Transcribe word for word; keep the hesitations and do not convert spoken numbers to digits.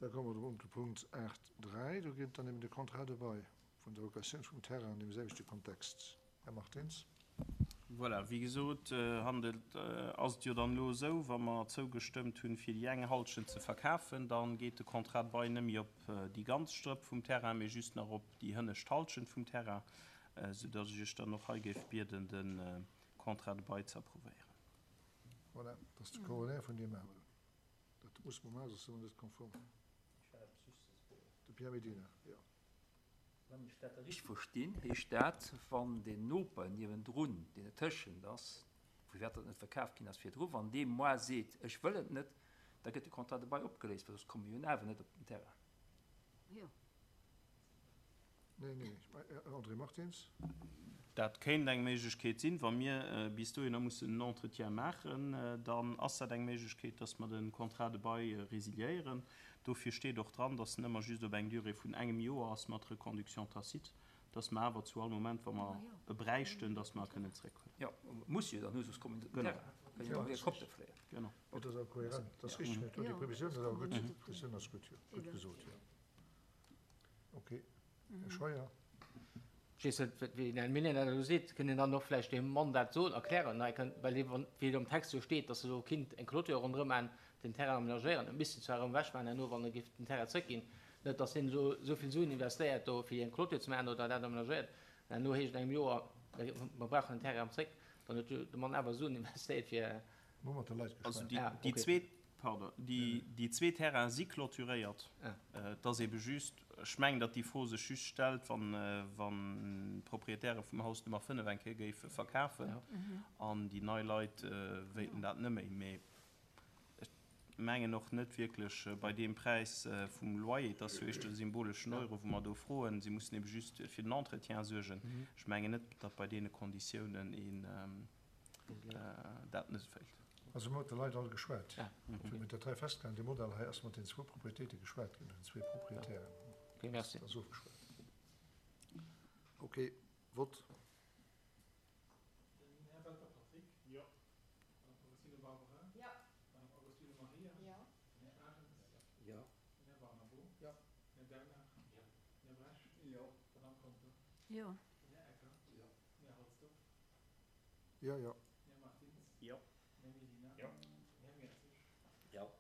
Da komme mer op de Punkt aacht dräi. Do geet et dann ëm de Contrat de bail vun der Locatioun vum Terrain an deem selwechte Kontext. Här Martins. Voilà, wéi gesot, handelt, ass et jo dann elo esou, wa mer zougestëmmt hunn, fir déi eng Halschent ze verkafen, da geet de Contrat de bail net méi op déi ganz Strëpp vum Terrain, mee just nach op déi hënnescht Halschent vum Terrain, soudass ech Iech dann och hei géif bieden, de Contrat de bail ze approuvéieren. Voilà, dat ass de Corollaire vun deem aneren. Dat muss mer maachen, soss si mer net konform. De Pierre Medina, jo. Wann ech dat da richteg verstinn, heescht dat, wann deen Noper niewendrun, deen dertëschent ass, vu wat dat net verkaaft ginn ass virdru, wann dee moi seet, ech wëll et net, da gëtt de Contrat de bail opgeléist, well soss komme mir jo awer net op den Terrain. Nee, nee, André Martins. Dat kéint eng Méiglechkeet sinn. Wa mir bis dohinner mussen en Entretien maachen, dann ass dat eng Méiglechkeet, dass mer de Contrat de bail résiliéieren. Dofir steet och dran, dass en ëmmer just op eng Durée vun engem Joer ass mat Reconduction tacite, dass mer awer zu all Moment, wa mer e bräichten, dass mer e kënnen zréckhuelen. Jo, muss jo dann hu, soss kommen se op den Terrain, kënnen jo och hir Koppte fléien. Genau. Dat ass awer kohärent, dat ass richtig. Mä déi Previsioun ass awer gutt. Déi Previsioun ass gutt, jo. Gutt gesot, jo. Okay. Här Scheuer. Ech weess net, wéi den Här Minen dat elo seet. Kënnt een dann och vläicht deem Mann dat soen, erklären? Hei kënnt, well hie, wann, wéi et am Text jo steet, datt e elo kinnt eng Clôture ronderëm maachen, den Terrain aménagéieren, e misst en zwar erëm ewechmaachen herno, wann e géif den Terrain zrëckginn, net datt hien elo esou vill Suen investéiert do, fir eng Clôture ze maachen oder dat aménagéiert, an herno heescht et an engem Joer, mer brauchen den Terrain erëm zrëck, dann huet jo de Mann awer Suen investéiert fir. Mir hu mat de Leit Also geschwat. déi, déi zweet, pardon, déi, déi zwee Terraine si clôturéiert. Et ass ebe just, ech mengen, datt déi Fro sech just stellt, wann, wann d'Proprietäre vum Haus Nummer fënnef eng Kéier géife verkafen an déi nei Leit wéilten dat net méi. Mee ech mengen och net wierklech bei deem Präis vum Loyer, et ass jo éischter e symboleschen Euro, wou mer do froen, si mussen ebe just fir den Entretien suergen. Ech mengen net, datt bei deene Konditiounen een dat net wéilt. Also mir hu mat de Leit all geschwat. Wéi mir dat hei festgehalen, dee Modell hei, ass mat den zwou Propriétéite geschwat ginn, den zwee Proprietären. Dat ass ofgeschwat. Okay, Vott. Den Här Welter Patrick. Jo. D'Madame Agostino Barbara. Jo. D'Madame Agostino Maria. Jo. Den Här Arendt. Jo. Den Här Barnabo. Jo. Den Här Bernard. Jo. Den Här Bresch. Jo. D'Madame Conter. Jo. Den Här Ecker. Jo. Den Här Halsdorf. Jo, jo. Den Här Martins. Jo. Den Här Medina. Jo. Den Här Mertzig. Jo.